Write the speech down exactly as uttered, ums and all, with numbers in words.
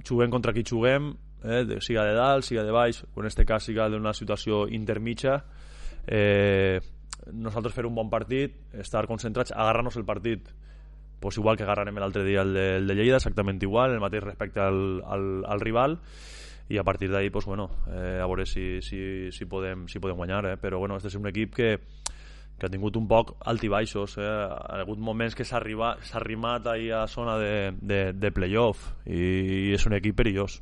juguem contra qui juguem, eh, siga de dalt, siga de baix, o en aquest cas siga d'una situació intermitja, eh, nosaltres fer un bon partit, estar concentrats, agarrar-nos el partit, pues igual que agarrarem l'altre dia el de, el de Lleida, exactament igual, el mateix respecte al, al, al rival, i a partir d'ahí, pues bueno, eh, a veure si, si, si, podem, si podem guanyar, eh? Però bueno, este és un equip que, que ha tingut un poc alt i baixos, eh? Ha hagut moments que s'ha arribat, s'ha arrimat ahí a zona de, de, de playoff, i és un equip perillós.